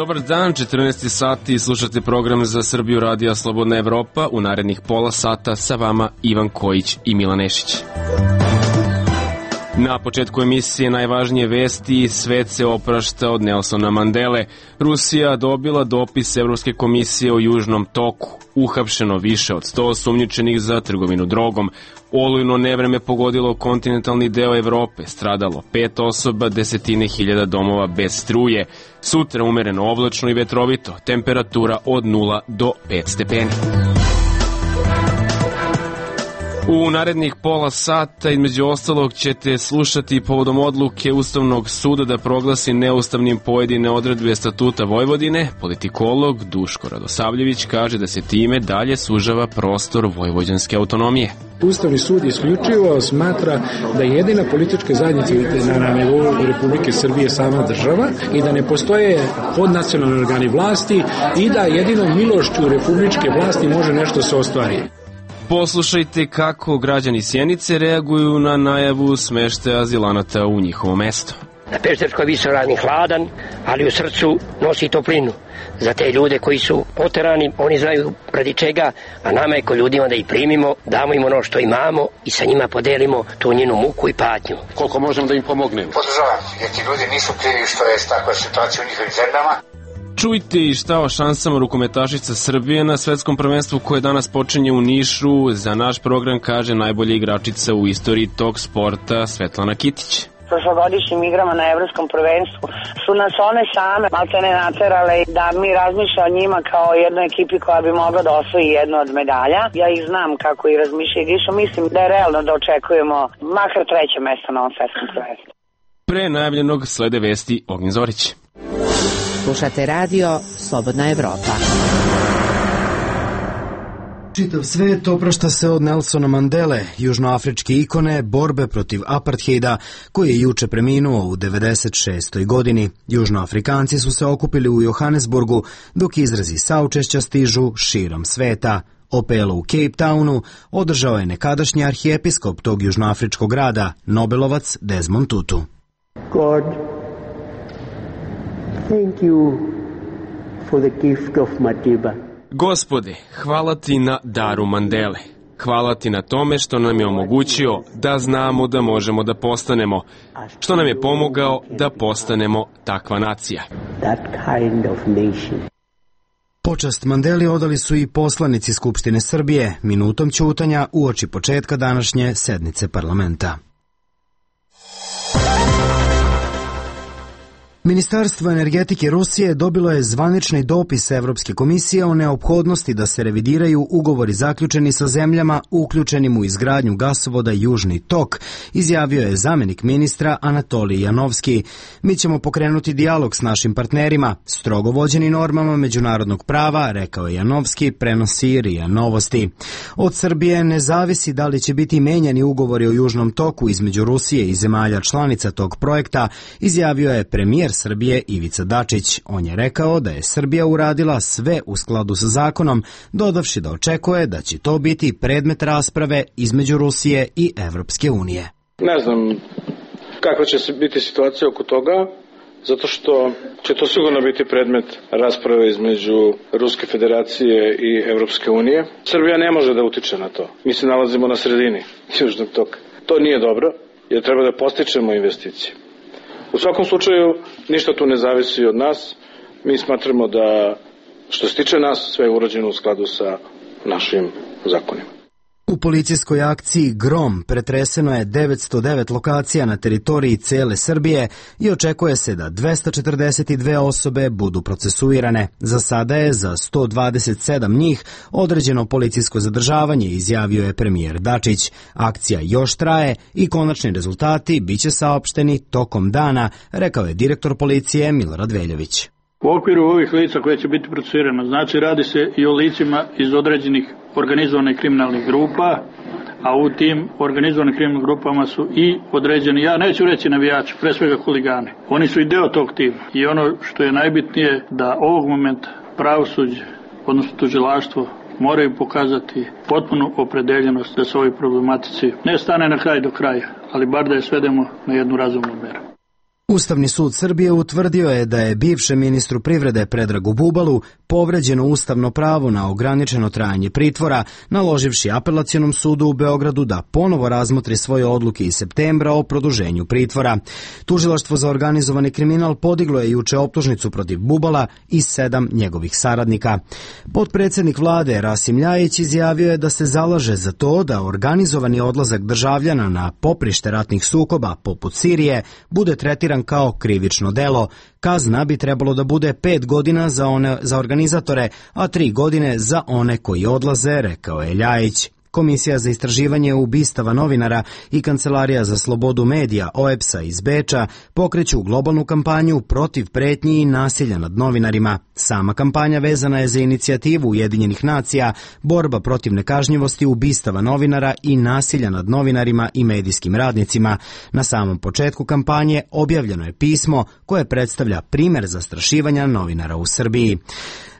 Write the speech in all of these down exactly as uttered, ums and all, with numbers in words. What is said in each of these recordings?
Dobar dan, četrnaest sati, slušate program za Srbiju Radija Slobodna Evropa. U narednih pola sata sa vama Ivan Kojić i Milan Nešić. Na početku emisije najvažnije vesti, svet se oprašta od Nelsona Mandele. Rusija dobila dopis Evropske komisije o Južnom toku. Uhapšeno više od sto osumnjičenih za trgovinu drogom. Olujno nevreme pogodilo kontinentalni deo Evrope, stradalo pet osoba, desetine hiljada domova bez struje. Sutra umereno oblačno i vetrovito, temperatura od nula do pet stepeni. U narednih pola sata, između ostalog, ćete slušati povodom odluke Ustavnog suda da proglasi neustavnim pojedine odredbe Statuta Vojvodine. Politikolog Duško Radosavljević kaže da se time dalje sužava prostor vojvođanske autonomije. Ustavni sud isključivo smatra da je jedina politička zajednica na nivou Republike Srbije sama država i da ne postoje podnacionalni organi vlasti i da jedinom milošću republičke vlasti može nešto se ostvari. Poslušajte kako građani Sjenice reaguju na najavu smeštaja azilanata u njihovo mesto. Na Pešterskoj visoravni hladan, ali u srcu nosi toplinu. Za te ljude koji su oterani, oni znaju radi čega, a nama je ko ljudima da ih primimo, damo im ono što imamo i sa njima podelimo tu njenu muku i patnju. Koliko možemo da im pomognemo? Podržavam, jer ti ljudi nisu krivi što je takva situacija u njihovim zemljama. Čujte i šta o šansama rukometašica Srbije na svetskom prvenstvu koje danas počinje u Nišu. Za naš program kaže najbolja igračica u istoriji tog sporta Svetlana Kitić. Prošlogodišnjim igrama na evropskom prvenstvu su nas one same maltene naterale da mi razmišlja o njima kao jednoj ekipi koja bi mogla da osvoji jednu od medalja. Ja ih znam kako i razmišljaju i mislim da je realno da očekujemo makar treće mesto na ovom svetskom prvenstvu. Pre najavljenog slede vesti Ognjen Zorić. Slušate radio Slobodna Evropa. Čitav svet oprašta se od Nelsona Mandele, južnoafričke ikone borbe protiv apartheida, koji je juče preminuo u devedeset šestoj godini. Južnoafrikanci su se okupili u Johannesburgu, dok izrazi saučešća stižu širom sveta. Opelo u Cape Townu održao je nekadašnji arhijepiskop tog južnoafričkog grada, Nobelovac Desmond Tutu. God, thank you for the gift of Madiba. Gospode, hvala ti na daru Mandele. Hvala ti na tome što nam je omogućio da znamo da možemo da postanemo, što nam je pomogao da postanemo takva nacija. That kind of nation. Počast Mandeli odali su i poslanici Skupštine Srbije minutom ćutanja uoči početka današnje sednice parlamenta. Ministarstvo energetike Rusije dobilo je zvanični dopis Evropske komisije o neophodnosti da se revidiraju ugovori zaključeni sa zemljama uključenim u izgradnju gasovoda Južni tok, izjavio je zamenik ministra Anatolij Janovski. Mi ćemo pokrenuti dijalog s našim partnerima, strogo vođeni normama međunarodnog prava, rekao je Janovski, prenosi R I A Novosti. Od Srbije ne zavisi da li će biti menjani ugovori o Južnom toku između Rusije i zemalja članica tog projekta, izjavio je premijer Srbije Ivica Dačić. On je rekao da je Srbija uradila sve u skladu sa zakonom, dodavši da očekuje da će to biti predmet rasprave između Rusije i Evropske unije. Ne znam kakva će biti situacija oko toga, zato što će to sigurno biti predmet rasprave između Ruske federacije i Evropske unije. Srbija ne može da utiče na to. Mi se nalazimo na sredini Južnog toka. To nije dobro, jer treba da postičemo investicije. U svakom slučaju, ništa tu ne zavisi od nas. Mi smatramo da što se tiče nas, sve je urađeno u skladu sa našim zakonima. U policijskoj akciji Grom pretreseno je devetsto devet lokacija na teritoriji cele Srbije i očekuje se da dvesta četrdeset dve osobe budu procesuirane. Za sada je za sto dvadeset sedam njih određeno policijsko zadržavanje, izjavio je premijer Dačić. Akcija još traje i konačni rezultati biće saopšteni tokom dana, rekao je direktor policije Milorad Veljović. U okviru ovih lica koje će biti procesuirano, znači radi se i o licima iz određenih organizovanih kriminalnih grupa, a u tim organizovanim kriminalnim grupama su i određeni, ja neću reći navijači, pre svega huligani. Oni su i deo tog tima i ono što je najbitnije da ovog momenta pravosuđe, odnosno tužilaštvo, moraju pokazati potpunu opredeljenost da se ovoj problematici ne stane na kraj do kraja, ali bar da je svedemo na jednu razumnu meru. Ustavni sud Srbije utvrdio je da je bivšem ministru privrede Predragu Bubalu povređeno ustavno pravo na ograničeno trajanje pritvora, naloživši Apelacionom sudu u Beogradu da ponovo razmotri svoje odluke iz septembra o produženju pritvora. Tužilaštvo za organizovani kriminal podiglo je juče optužnicu protiv Bubala i sedam njegovih saradnika. Potpredsednik vlade Rasim Ljajić izjavio je da se zalaže za to da organizovani odlazak državljana na poprište ratnih sukoba poput Sirije bude tretiran kao krivično delo. Kazna bi trebalo da bude pet godina za one za organizatore, a tri godine za one koji odlaze, rekao je Ljajić. Komisija za istraživanje ubistava novinara i Kancelarija za slobodu medija O E P S-a iz Beča pokreću globalnu kampanju protiv pretnji i nasilja nad novinarima. Sama kampanja vezana je za inicijativu Ujedinjenih nacija, borba protiv nekažnjivosti ubistava novinara i nasilja nad novinarima i medijskim radnicima. Na samom početku kampanje objavljeno je pismo koje predstavlja primer zastrašivanja novinara u Srbiji.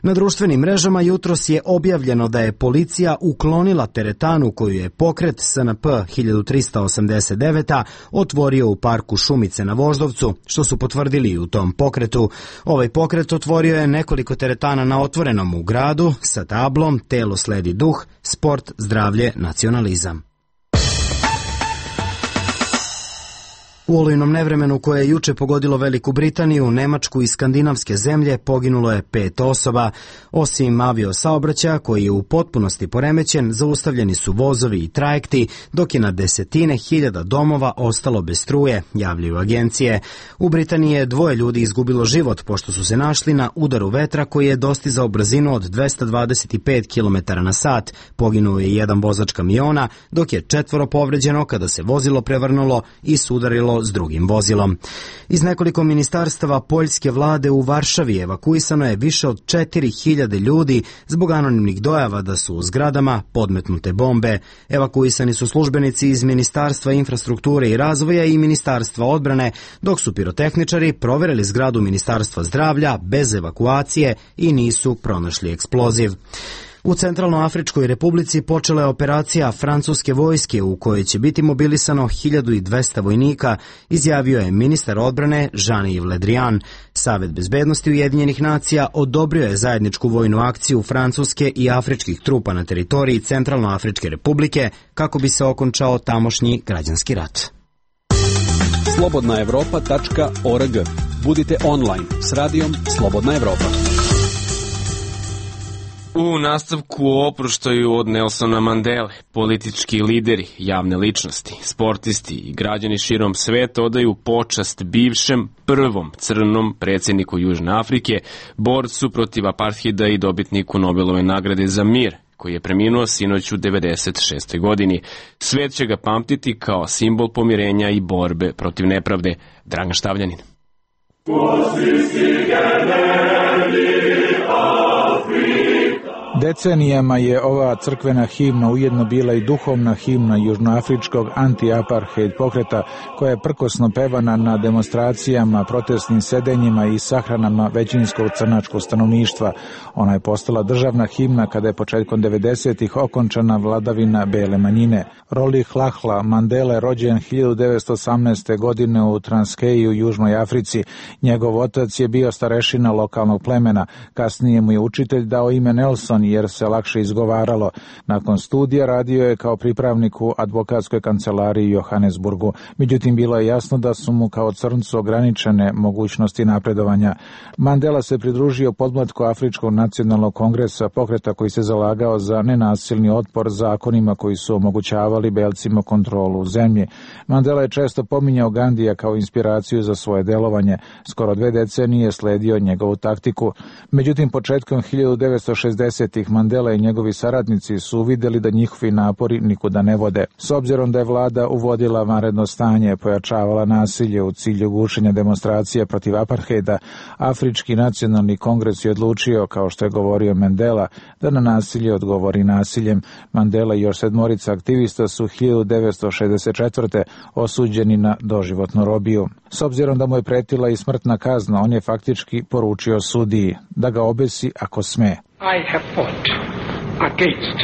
Na društvenim mrežama jutros je objavljeno da je policija uklonila teretanu koju je pokret S N P hiljadu trista osamdeset devet otvorio u parku Šumice na Voždovcu, što su potvrdili i u tom pokretu. Ovaj pokret otvorio je nekoliko teretana na otvorenom u gradu sa tablom Telo sledi duh, sport, zdravlje, nacionalizam. U olujnom nevremenu koje je juče pogodilo Veliku Britaniju, Nemačku i skandinavske zemlje poginulo je pet osoba. Osim aviosaobraćaja koji je u potpunosti poremećen, zaustavljeni su vozovi i trajekti, dok je na desetine hiljada domova ostalo bez struje, javljaju agencije. U Britaniji je dvoje ljudi izgubilo život pošto su se našli na udaru vetra koji je dostizao brzinu od dvesta dvadeset pet kilometara na sat. Poginuo je jedan vozač kamiona, dok je četvoro povređeno kada se vozilo prevrnulo i sudarilo s drugim vozilom. Iz nekoliko ministarstava poljske vlade u Varšavi evakuisano je više od četiri hiljade ljudi zbog anonimnih dojava da su u zgradama podmetnute bombe. Evakuisani su službenici iz Ministarstva infrastrukture i razvoja i Ministarstva odbrane, dok su pirotehničari proverili zgradu Ministarstva zdravlja bez evakuacije i nisu pronašli eksploziv. U Centralnoafričkoj republici počela je operacija francuske vojske u kojoj će biti mobilisano hiljadu dvesta vojnika, izjavio je ministar odbrane Jean-Yves Le Drian. Savet bezbednosti Ujedinjenih nacija odobrio je zajedničku vojnu akciju Francuske i afričkih trupa na teritoriji Centralnoafričke republike kako bi se okončao tamošnji građanski rat. slobodna evropa tačka org. Budite online s radijom Slobodna Evropa. U nastavku o oproštaju od Nelsona Mandele, politički lideri, javne ličnosti, sportisti i građani širom sveta odaju počast bivšem prvom crnom predsjedniku Južne Afrike, borcu protiv apartheida i dobitniku Nobelove nagrade za mir, koji je preminuo sinoć u devedeset šestoj godini. Svet će ga pamtiti kao simbol pomirenja i borbe protiv nepravde. Dragan Štavljanin. Decenijama je ova crkvena himna ujedno bila i duhovna himna južnoafričkog anti-apartheid pokreta, koja je prkosno pevana na demonstracijama, protestnim sedenjima i sahranama većinskog crnačkog stanovništva. Ona je postala državna himna kada je početkom devedesetih okončana vladavina bele manjine. Rolih Lahla Mandela je rođen hiljadu devetsto osamnaeste. godine u Transkeji u Južnoj Africi. Njegov otac je bio starešina lokalnog plemena. Kasnije mu je učitelj dao ime Nelson jer se lakše izgovaralo. Nakon studija radio je kao pripravnik u advokatskoj kancelariji u Johannesburgu. Međutim, bilo je jasno da su mu kao crncu ograničene mogućnosti napredovanja. Mandela se pridružio podmlatku Afričkog nacionalnog kongresa, pokreta koji se zalagao za nenasilni otpor zakonima koji su omogućavali belcima kontrolu u zemlji. Mandela je često pominjao Gandija kao inspiraciju za svoje delovanje. Skoro dve decenije sledio njegovu taktiku. Međutim, početkom hiljadu devetsto šezdesetih Mandela i njegovi saradnici su uvidjeli da njihovi napori nikuda ne vode. S obzirom da je vlada uvodila vanredno stanje, pojačavala nasilje u cilju gušenja demonstracija protiv apartheida, Afrički nacionalni kongres je odlučio, kao što je govorio Mandela, da na nasilje odgovori nasiljem. Mandela i još sedmorica aktivista su hiljadu devetsto šezdeset četvrte. osuđeni na doživotnu robiju. S obzirom da mu je pretila i smrtna kazna, on je faktički poručio sudiji da ga obesi ako sme. I have fought against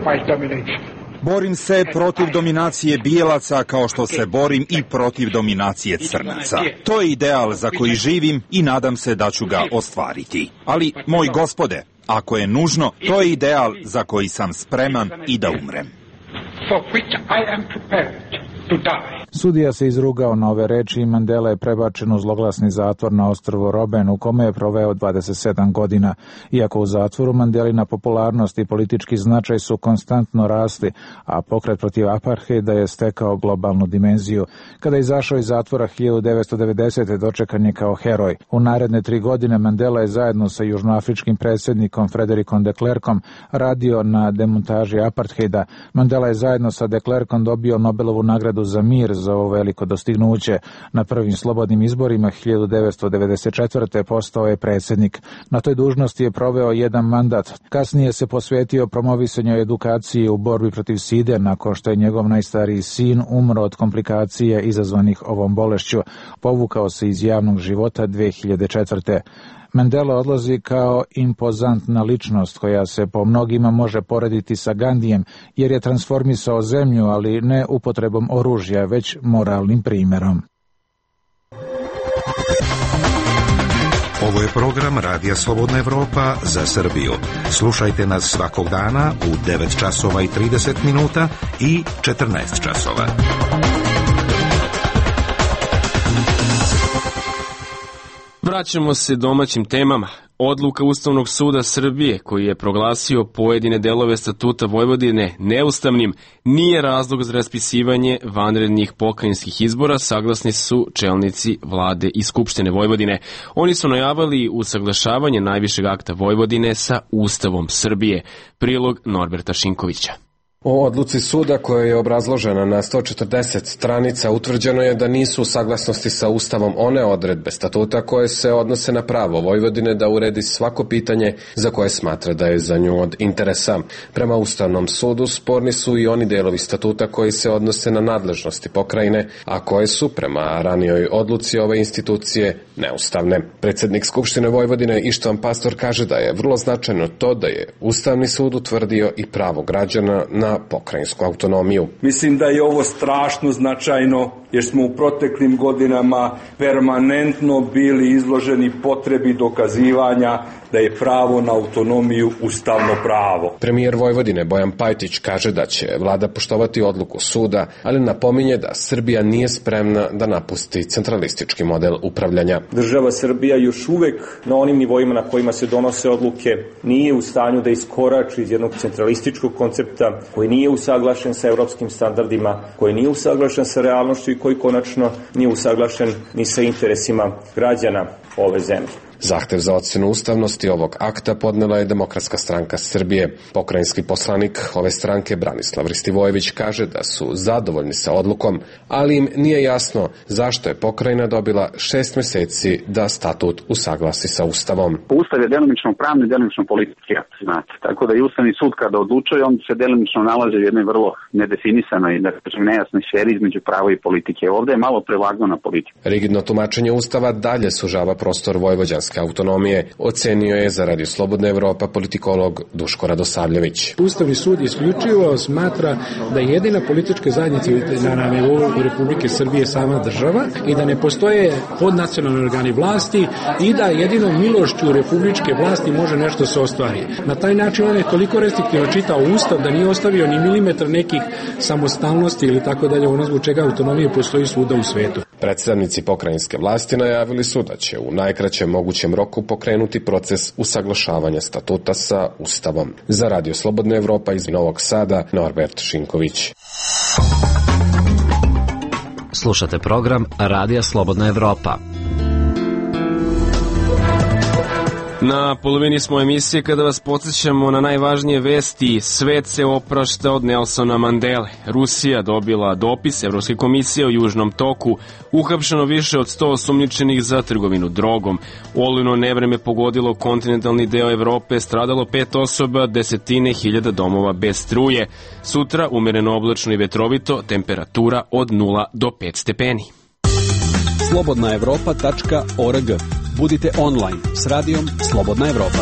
white domination. Borim se protiv dominacije bijelaca kao što se borim i protiv dominacije crnaca. To je ideal za koji živim i nadam se da ću ga ostvariti. Ali, moj gospode, ako je nužno, to je ideal za koji sam spreman i da umrem. Sudija se izrugao na ove reči i Mandela je prebačen u zloglasni zatvor na ostrvo Robben, u kome je proveo dvadeset sedam godina. Iako u zatvoru, Mandelina popularnost i politički značaj su konstantno rasli, a pokret protiv apartheida je stekao globalnu dimenziju. Kada je izašao iz zatvora hiljadu devetsto devedesete. dočekan je kao heroj. U naredne tri godine Mandela je zajedno sa južnoafričkim predsjednikom Frederikom de Klerkom radio na demontaži apartheida. Mandela je zajedno sa de Klerkom dobio Nobelovu nagradu za mir za ovo veliko dostignuće. Na prvim slobodnim izborima hiljadu devetsto devedeset četvrte. postao je predsjednik. Na toj dužnosti je proveo jedan mandat. Kasnije se posvetio promovisanju edukacije u borbi protiv side nakon što je njegov najstariji sin umro od komplikacije izazvanih ovom bolešću. Povukao se iz javnog života dve hiljade četvrte. Mandela odlazi kao impozantna ličnost koja se po mnogima može porediti sa Gandijem, jer je transformisao zemlju, ali ne upotrebom oružja, već moralnim primjerom. Ovo je program Radija Slobodna Evropa za Srbiju. Slušajte nas svakog dana u devet časova i trideset minuta i četrnaest časova. Vraćamo se domaćim temama. Odluka Ustavnog suda Srbije, koji je proglasio pojedine delove statuta Vojvodine neustavnim, nije razlog za raspisivanje vanrednih pokrajinskih izbora, saglasni su čelnici vlade i Skupštine Vojvodine. Oni su najavili usaglašavanje najvišeg akta Vojvodine sa Ustavom Srbije. Prilog Norberta Šinkovića. O odluci suda koja je obrazložena na sto četrdeset stranica utvrđeno je da nisu u saglasnosti sa Ustavom one odredbe statuta koje se odnose na pravo Vojvodine da uredi svako pitanje za koje smatra da je za nju od interesa. Prema Ustavnom sudu sporni su i oni delovi statuta koji se odnose na nadležnosti pokrajine, a koje su prema ranijoj odluci ove institucije neustavne. Predsjednik Skupštine Vojvodine Ištvan Pastor kaže da je vrlo značajno to da je Ustavni sud utvrdio i pravo građana na pokrajinsku autonomiju. Mislim da je ovo strašno značajno jer smo u proteklim godinama permanentno bili izloženi potrebi dokazivanja da je pravo na autonomiju ustavno pravo. Premijer Vojvodine Bojan Pajtić kaže da će vlada poštovati odluku suda, ali napominje da Srbija nije spremna da napusti centralistički model upravljanja. Država Srbija još uvek na onim nivoima na kojima se donose odluke nije u stanju da iskorači iz jednog centralističkog koncepta koji nije usaglašen sa evropskim standardima, koji nije usaglašen sa realnošću i koji konačno nije usaglašen ni sa interesima građana ove zemlje. Zahtev za ocjenu ustavnosti ovog akta podnela je Demokratska stranka Srbije. Pokrajinski poslanik ove stranke Branislav Ristivojević kaže da su zadovoljni sa odlukom, ali im nije jasno zašto je pokrajina dobila šest meseci da statut usaglasi sa Ustavom. Ustav je delimično pravni, delimično politički akt, znate. Tako da i Ustavni sud kada odlučuje, on se delimično nalazi u jednoj vrlo nedefinisanoj, da kažem, nejasnoj sferi između prava i politike. Ovde je malo prevagno na politiku. Rigidno tumačenje Ustava dalje sužava prostor vojvođanske autonomije, ocenio je za Radio Slobodna Evropa politikolog Duško Radosavljević. Ustavni sud isključivo smatra da je jedina politička zajednica na nivou Republike Srbije sama država i da ne postoje podnacionalni organi vlasti i da jedino milošću republičke vlasti može nešto se ostvari. Na taj način on je toliko restriktivno čitao Ustav da nije ostavio ni milimetar nekih samostalnosti ili tako dalje, ono zbog čega autonomije postoji svuda u svetu. Predstavnici pokrajinske vlasti najavili su da će u najkraćem mogućem roku pokrenuti proces usaglašavanja statuta sa Ustavom. Za Radio Slobodna Evropa iz Novog Sada, Norbert Šinković. Slušate program Radija Slobodna Evropa. Na polovini smo emisije kada vas podsjećamo na najvažnije vesti. Svet se oprašta od Nelsona Mandele. Rusija dobila dopis Evropske komisije o Južnom toku. Uhapšeno više od sto osumnjičenih za trgovinu drogom. Olujno nevreme pogodilo kontinentalni deo Evrope, stradalo pet osoba, desetine hiljada domova bez struje. Sutra umereno oblačno i vetrovito, temperatura od nula do pet stepeni. slobodna evropa tačka org. Budite online s radijom Slobodna Evropa.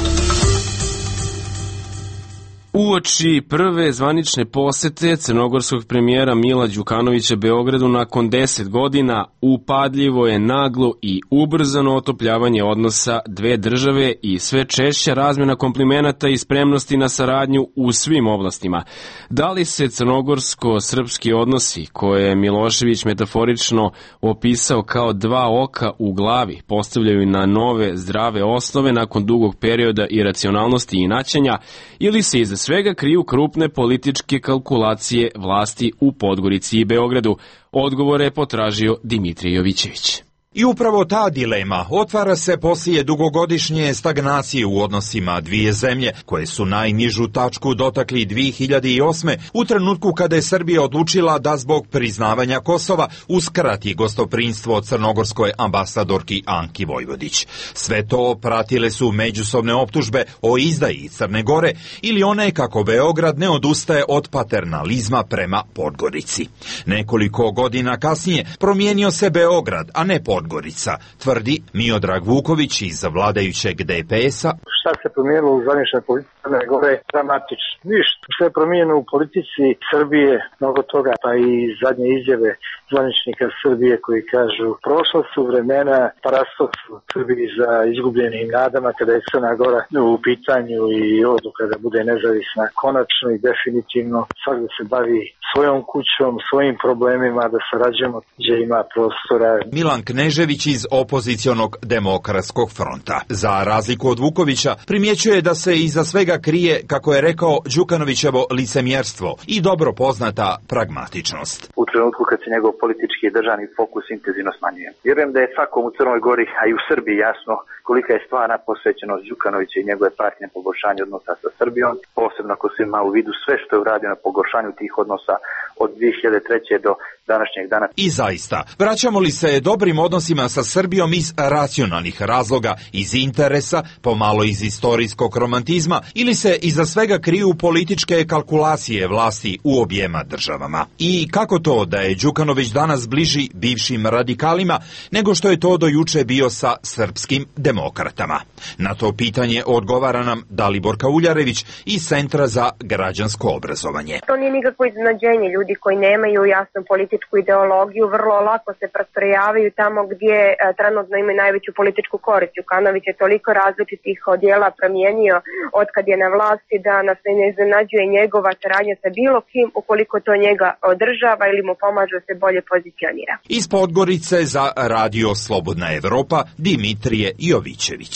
Uoči prve zvanične posete crnogorskog premijera Mila Đukanovića Beogradu nakon deset godina upadljivo je naglo i ubrzano otopljavanje odnosa dve države i sve češća razmjena komplimenata i spremnosti na saradnju u svim oblastima. Da li se crnogorsko-srpski odnosi, koje je Milošević metaforično opisao kao dva oka u glavi, postavljaju na nove zdrave osnove nakon dugog perioda iracionalnosti i inaćenja, ili se iza svega kriju krupne političke kalkulacije vlasti u Podgorici i Beogradu? Odgovore je potražio Dimitrij Jovićević. I upravo ta dilema otvara se poslije dugogodišnje stagnacije u odnosima dvije zemlje, koje su najnižu tačku dotakli dvije hiljade osme. u trenutku kada je Srbija odlučila da zbog priznavanja Kosova uskrati gostoprinstvo crnogorskoj ambasadorki Anki Vojvodić. Sve to pratile su međusobne optužbe o izdaji Crne Gore ili one kako Beograd ne odustaje od paternalizma prema Podgorici. Nekoliko godina kasnije promijenio se Beograd, a ne Podgorica. Podgorica, tvrdi Miodrag Vuković iz vladajućeg D P S-a. Šta se promijenilo u zvaničnoj politici Crne Gore? Dramatično. Ništa. Što je promijenilo u politici Srbije, mnogo toga, pa i zadnje izjave zvaničnika Srbije koji kažu prošla su vremena, parastof su Srbiji za izgubljenim nadama kada je Crna Gora u pitanju i odluka da bude nezavisna konačno i definitivno. Svak da se bavi svojom kućom, svojim problemima, da sarađujemo gdje ima prostora. Milan Knežević iz opozicionog Demokratskog fronta. Za razliku od Vukovića, primjećuje da se iza svega krije, kako je rekao, Đukanovićevo licemjerstvo i dobro poznata pragmatičnost. U trenutku kad se njegov politički i državni fokus intenzivno smanjuje. Vjerujem da je svakom u Crnoj Gori, a i u Srbiji jasno kolika je stvarna posvećenost Đukanovića i njegove partije na poboljšanju odnosa sa Srbijom, posebno ako se ima u vidu sve što je uradio na poboljšanju tih odnosa od dvije hiljade treće. do današnjeg dana. I zaista, vraćamo li se dobrim odnosima sa Srbijom iz racionalnih razloga, iz interesa, pomalo iz istorijskog romantizma, ili se iza svega kriju političke kalkulacije vlasti u objema državama? I kako to da je Đukanović danas bliži bivšim radikalima nego što je to do juče bio sa srpskim demokratama? Na to pitanje odgovara nam Daliborka Uljarević iz Centra za građansko obrazovanje. To nije nikakvo iznenađenje. Ljudi koji nemaju jasnu političku ideologiju vrlo lako se prestrojavaju tamo gdje e, trenutno imaju najveću političku korist. Đukanović je toliko različitih odjela promijenio od kad je na vlasti da nas ne iznenađuje njegova saradnja sa bilo kim ukoliko to njega održava ili mu pomaže da se bolje pozicionira. Iz Podgorice za Radio Slobodna Evropa Dimitrije Jovićević.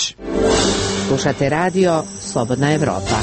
Slušate Radio Slobodna Evropa.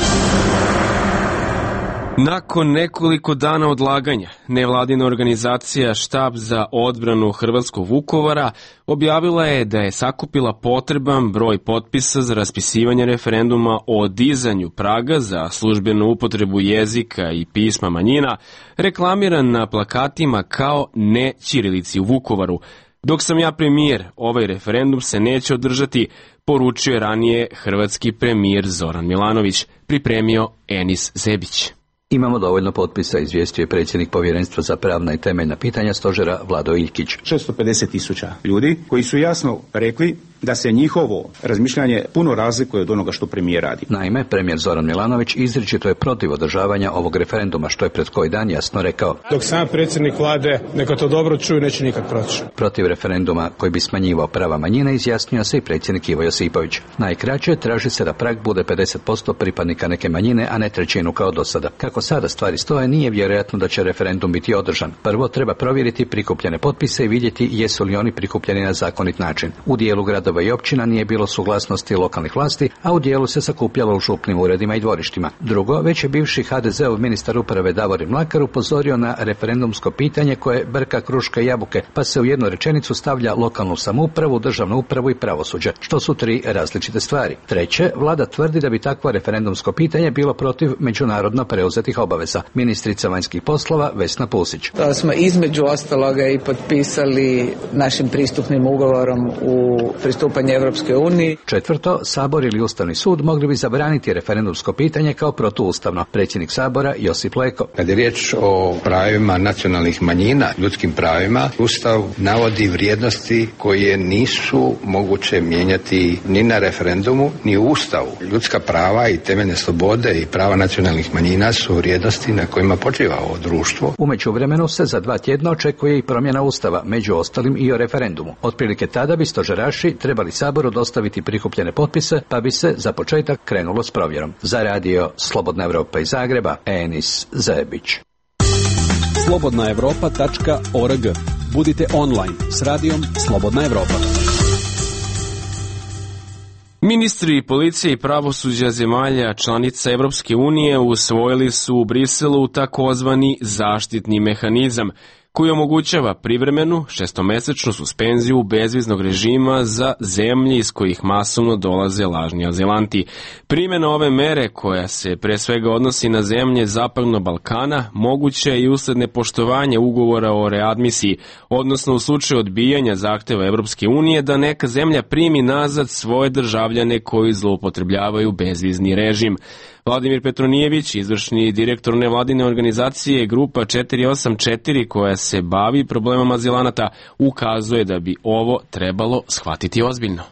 Nakon nekoliko dana odlaganja, nevladina organizacija Štab za odbranu hrvatskog Vukovara objavila je da je sakupila potreban broj potpisa za raspisivanje referenduma o dizanju praga za službenu upotrebu jezika i pisma manjina, reklamiran na plakatima kao ne ćirilici u Vukovaru. Dok sam ja premijer, ovaj referendum se neće održati, poručio je ranije hrvatski premijer Zoran Milanović, pripremio Enis Zebić. Imamo dovoljno potpisa, izvijestio je predsjednik Povjerenstva za pravna i temeljna pitanja stožera Vlado Iljkić. šesto pedeset tisuća ljudi koji su jasno rekli da se njihovo razmišljanje puno razlikuje od onoga što premijer radi. Naime, premijer Zoran Milanović izričito je protiv održavanja ovog referenduma, što je pred koji dan jasno rekao. Dok sam predsjednik vlade neka to dobro čuju, neće nikad proći. Protiv referenduma koji bi smanjivao prava manjine izjasnio se i predsjednik Ivo Josipović. Najkraće, traži se da prag bude pedeset posto pripadnika neke manjine, a ne trećinu kao do sada. Kako sada stvari stoje, nije vjerojatno da će referendum biti održan. Prvo treba provjeriti prikupljene potpise i vidjeti jesu li oni prikupljeni na zakonit način. U dijelu gradova i općina nije bilo suglasnosti lokalnih vlasti, a u dijelu se sakupljalo u župnim uredima i dvorištima. Drugo, već je bivši ha de zeov ministar uprave Davorin Mlakar upozorio na referendumsko pitanje koje brka kruške i jabuke, pa se u jednu rečenicu stavlja lokalnu samoupravu, državnu upravu i pravosuđe, što su tri različite stvari. Treće, vlada tvrdi da bi takvo referendumsko pitanje bilo protiv međunarodno preuzetih obaveza. Ministrica vanjskih poslova Vesna Pusić. To smo između ostaloga i potpisali našim pristupnim ugovorom u pristupanje Evropskoj uniji. Četvrto, Sabor ili Ustavni sud mogli bi zabraniti referendumsko pitanje kao protuustavno. Predsjednik Sabora Josip Leko. Kad je riječ o pravima nacionalnih manjina, ljudskim pravima, Ustav navodi vrijednosti koje nisu moguće mijenjati ni na referendumu, ni u Ustavu. Ljudska prava i temeljne slobode i prava nacionalnih manjina su vrijednosti na kojima počiva ovo društvo. U međuvremenu se za dva tjedna očekuje i promjena Ustava, među ostalim i o referendumu. Otprilike tada bi stožeraši trebali Saboru dostaviti prikupljene potpise, pa bi se za početak krenulo s provjerom. Za radio Slobodna Evropa iz Zagreba, Enis Zebić. slobodna evropa tačka org. Budite online s radijom Slobodna Evropa. Ministri policije i pravosuđa zemalja članica Evropske unije usvojili su u Briselu takozvani zaštitni mehanizam koji omogućava privremenu šestomesečnu suspenziju bezviznog režima za zemlje iz kojih masovno dolaze lažni azilanti. Primjena ove mere, koja se pre svega odnosi na zemlje Zapadnog Balkana, moguće je i usled nepoštovanja ugovora o readmisiji, odnosno u slučaju odbijanja zahteva Evropske unije da neka zemlja primi nazad svoje državljane koji zloupotrebljavaju bezvizni režim. Vladimir Petronijević, izvršni direktor nevladine organizacije Grupa četiri osam četiri, koja se bavi problemom azilanata, ukazuje da bi ovo trebalo shvatiti ozbiljno.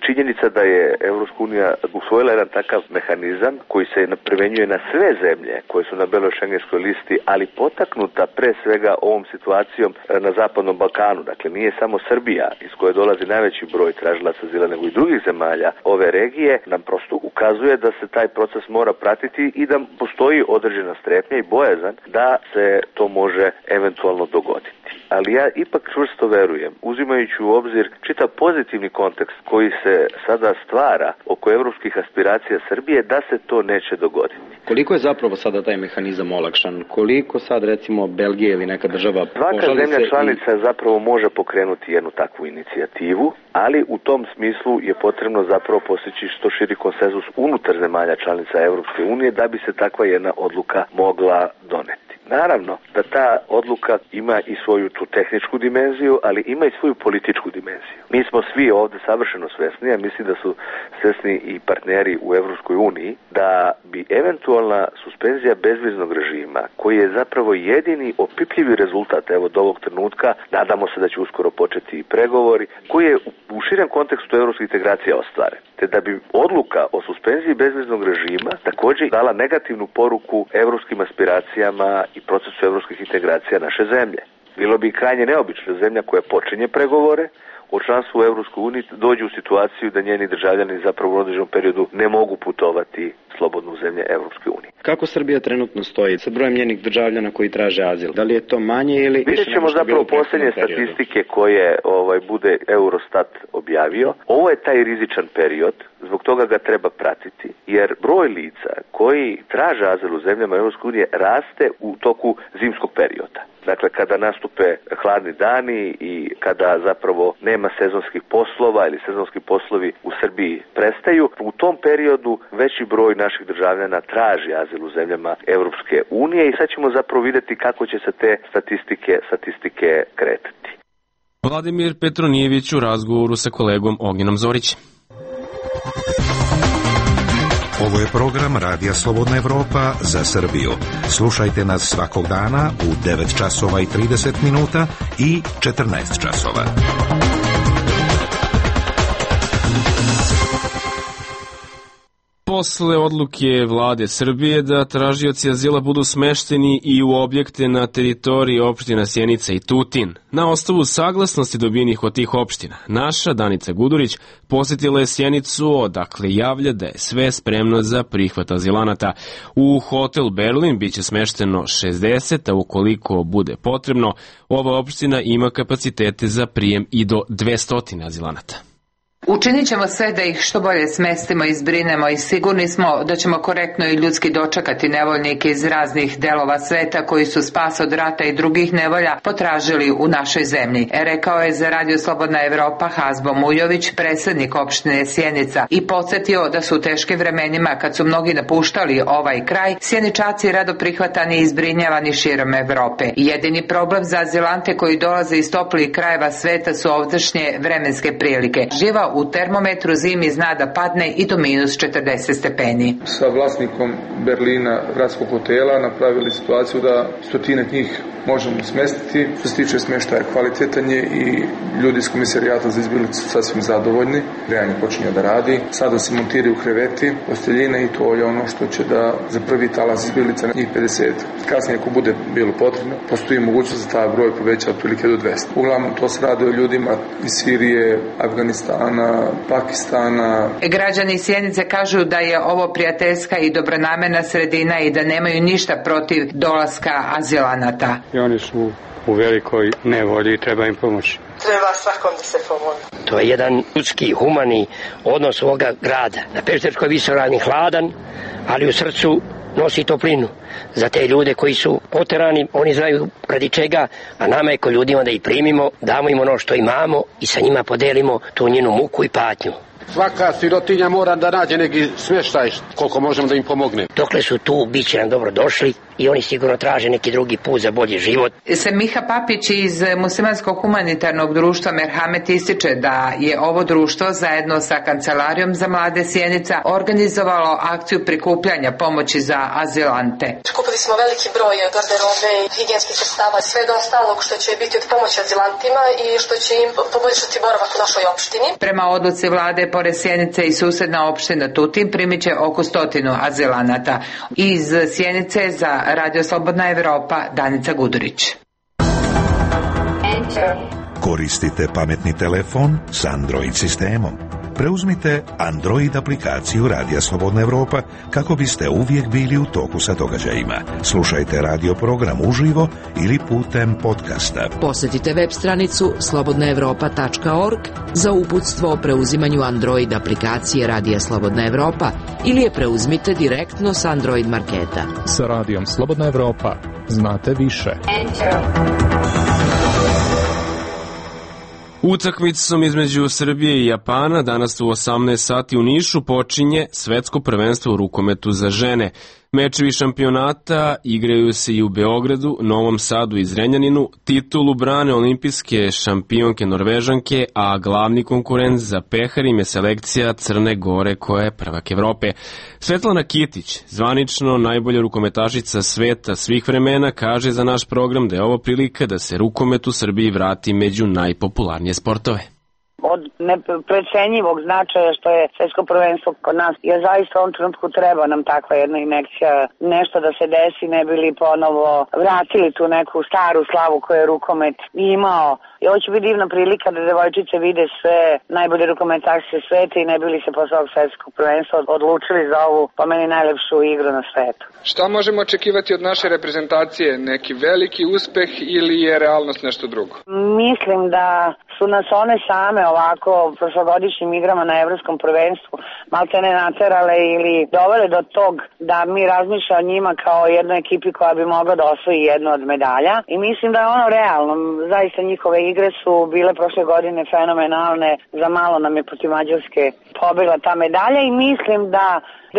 Činjenica da je Evropska unija usvojila jedan takav mehanizam koji se primenjuje na sve zemlje koje su na beloj šengenskoj listi, ali potaknuta pre svega ovom situacijom na Zapadnom Balkanu. Dakle, nije samo Srbija iz koje dolazi najveći broj tražilaca azila, nego i drugih zemalja ove regije, nam prosto ukazuje da se taj proces mora pratiti i da postoji određena strepnja i bojazan da se to može eventualno dogoditi. Ali ja ipak čvrsto verujem, uzimajući u obzir čitav pozitivni kontekst koji se sada stvara oko evropskih aspiracija Srbije, da se to neće dogoditi. Koliko je zapravo sada taj mehanizam olakšan? Koliko sad recimo Belgija ili neka država Svaka zemlja članica i... zapravo može pokrenuti jednu takvu inicijativu, ali u tom smislu je potrebno zapravo postići što širi konsenzus unutar zemalja članica Evropske unije da bi se takva jedna odluka mogla doneti. Naravno da ta odluka ima i svoju tu tehničku dimenziju, ali ima i svoju političku dimenziju. Mi smo svi ovde savršeno svesni, a mislim da su svesni i partneri u Evropskoj uniji, da bi eventualna suspenzija bezviznog režima, koji je zapravo jedini opipljivi rezultat evo do ovog trenutka, nadamo se da će uskoro početi i pregovori, koji je u širem kontekstu evropskih integracija ostvaren. Te da bi odluka o suspenziji bezviznog režima također dala negativnu poruku evropskim aspiracijama i procesu evropskih integracija naše zemlje. Bilo bi krajnje neobično zemlja koja počinje pregovore o članstvu u Evropskoj uniji dođe u situaciju da njeni državljani zapravo u određenom periodu ne mogu putovati slobodno u zemlje Evropske unije. Kako Srbija trenutno stoji sa brojem njenih državljana koji traže azil? Da li je to manje ili... Vidjet ćemo zapravo posljednje statistike koje ovaj, bude Eurostat objavio. Ovo je taj rizičan period, zbog toga ga treba pratiti, jer broj lica koji traže azil u zemljama Evropske unije raste u toku zimskog perioda. Dakle, kada nastupe hladni dani i kada zapravo nema sezonskih poslova ili sezonski poslovi u Srbiji prestaju, u tom periodu veći broj naših državljana traži azil u zemljama Evropske unije i sad ćemo zapravo vidjeti kako će se te statistike, statistike kretati. Vladimir Petronijević u razgovoru sa kolegom Oginom Zorićem. Ovo je program Radija Slobodna Evropa za Srbiju. Slušajte nas svakog dana u devet časova i trideset minuta i četrnaest časova. Posle odluke vlade Srbije da tražioci azila budu smešteni i u objekte na teritoriji opština Sjenica i Tutin, na osnovu saglasnosti dobijenih od tih opština, naša Danica Gudurić posjetila je Sjenicu, odakle javlja da je sve spremno za prihvat azilanata. U hotel Berlin biće smešteno šezdeset, a ukoliko bude potrebno, ova opština ima kapacitete za prijem i do dvesta azilanata. Učinit ćemo sve da ih što bolje smestimo i zbrinemo i sigurni smo da ćemo korektno i ljudski dočekati nevoljnike iz raznih delova sveta koji su spas od rata i drugih nevolja potražili u našoj zemlji, rekao je za Radio Slobodna Evropa Hazbo Mujović, predsjednik opštine Sjenica, i podsjetio da su u teškim vremenima, kad su mnogi napuštali ovaj kraj, Sjeničaci rado prihvatani i zbrinjavani širom Evrope. Jedini problem za azilante koji dolaze iz toplih krajeva sveta su ovdašnje vremenske prilike. Živa u u termometru zimi zna da padne i do minus četrdeset stepeni. Sa vlasnikom Berlina gradskog hotela napravili situaciju da stotine njih možemo smestiti. Što se tiče smještaja, kvalitetan je i ljudi iz komisarijata za izbjeglice su sasvim zadovoljni. Grejanje počinje da radi. Sada se montiraju kreveti, posteljine i to je ono što će da za prvi talas izbjeglica njih pedeset. Kasnije, ako bude bilo potrebno, postoji mogućnost da taj broj poveća otprilike do dvesta. Uglavnom, to se radi o ljudima iz Sirije, Afganistana, Pakistana. Građani Sjenice kažu da je ovo prijateljska i dobronamjerna sredina i da nemaju ništa protiv dolaska azilanata. I oni su u velikoj nevolji i treba im pomoći. Treba svakom da se pomoći. To je jedan ljudski, humani odnos ovoga grada. Na Pešterskoj visoravni hladan, ali u srcu nosi toplinu. Za te ljude koji su poterani, oni znaju radi čega, a nama je ko ljudima da ih primimo, damo im ono što imamo i sa njima podelimo tu njenu muku i patnju. Svaka sirotinja mora da nađe neki smještaj, koliko možemo da im pomogne. Dokle su tu, bit će nam dobro došli i oni sigurno traže neki drugi put za bolji život. Semiha Papić iz Muslimanskog humanitarnog društva Merhamet ističe da je ovo društvo zajedno sa Kancelarijom za mlade Sjenica organizovalo akciju prikupljanja pomoći za azilante. Kupili smo veliki broj garderobe, higijenskih sredstava, sve do ostalog što će biti od pomoći azilantima i što će im poboljšati boravak u našoj opštini. Prema odluci vlade, pored Sjenice i susedna opština Tutin primit će oko stotinu azilanata. Iz Sjenice za Radio Slobodna Evropa, Danica Gudurić. Koristite pametni telefon s Android sistemom. Preuzmite Android aplikaciju Radija Slobodna Evropa kako biste uvijek bili u toku sa događajima. Slušajte radio program uživo ili putem podcasta. Posjetite web stranicu slobodna evropa tačka org za uputstvo o preuzimanju Android aplikacije Radija Slobodna Evropa ili je preuzmite direktno s Android marketa. Sa Radijom Slobodna Evropa znate više. Utakmicom između Srbije i Japana danas u osamnaest sati u Nišu počinje svetsko prvenstvo u rukometu za žene. Mečevi šampionata igraju se i u Beogradu, Novom Sadu i Zrenjaninu. Titulu brane olimpijske šampionke Norvežanke, a glavni konkurent za pehar im je selekcija Crne Gore koja je prvak Evrope. Svetlana Kitić, zvanično najbolja rukometašica sveta svih vremena, kaže za naš program da je ovo prilika da se rukomet u Srbiji vrati među najpopularnije sportove. Od neprecenjivog značaja što je svetsko prvenstvo kod nas, jer zaista u ovom trenutku treba nam takva jedna injekcija, nešto da se desi, ne bili ponovo vratili tu neku staru slavu koju je rukomet imao. I ovo će biti divna prilika da devojčice vide sve najbolje rukometašice sveta i ne bili se posle ovog svetskog prvenstva odlučili za ovu, po meni, najlepšu igru na svetu. Šta možemo očekivati od naše reprezentacije? Neki veliki uspeh ili je realnost nešto drugo? Mislim da su nas one same ovako prošlogodišnjim igrama na evropskom prvenstvu malte ne naterale ili dovele do tog da mi razmišljamo o njima kao jednoj ekipi koja bi mogla da osvoji jednu od medalja. I mislim da je ono realno. Zaista njihove igre su bile prošle godine fenomenalne. Za malo nam je protiv Mađarske pobila ta medalja i mislim da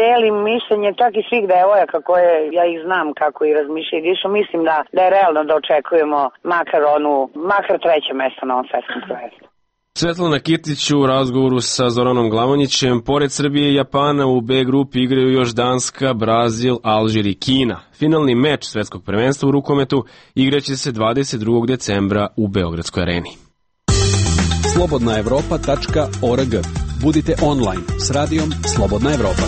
delim mišljenje čak i svih devojaka koje ja ih znam kako i razmišljaju i dišu. Mislim da, da je realno da očekujemo makar onu, makar treće mesto na ovom svetskom prvenstvu. Svetlana Kitić u razgovoru sa Zoranom Glavonjićem. Pored Srbije i Japana u B grupi igraju još Danska, Brazil, Alžir i Kina. Finalni meč svetskog prvenstva u rukometu igraće se dvadeset drugog decembra u Beogradskoj areni. slobodna evropa tačka org. Budite online s radijom Slobodna Evropa.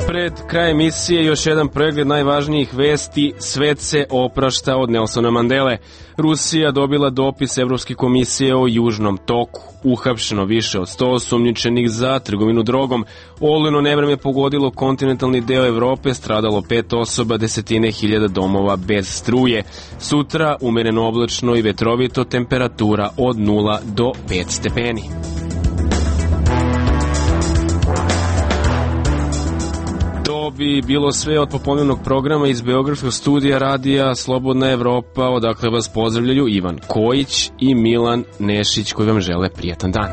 Pred kraj emisije još jedan pregled najvažnijih vesti. Svet se oprašta od Nelsona Mandele. Rusija dobila dopis Evropske komisije o Južnom toku. Uhapšeno više od sto osumnjičenih za trgovinu drogom. Olujno nevreme pogodilo kontinentalni deo Evrope, stradalo pet osoba, desetine hiljada domova bez struje. Sutra umereno oblačno i vetrovito, temperatura od nula do pet stepeni. To bi bilo sve od popodnevnog programa iz Beogradskog studija Radija Slobodna Evropa, odakle vas pozdravljaju Ivan Kojić i Milan Nešić koji vam žele prijatan dan.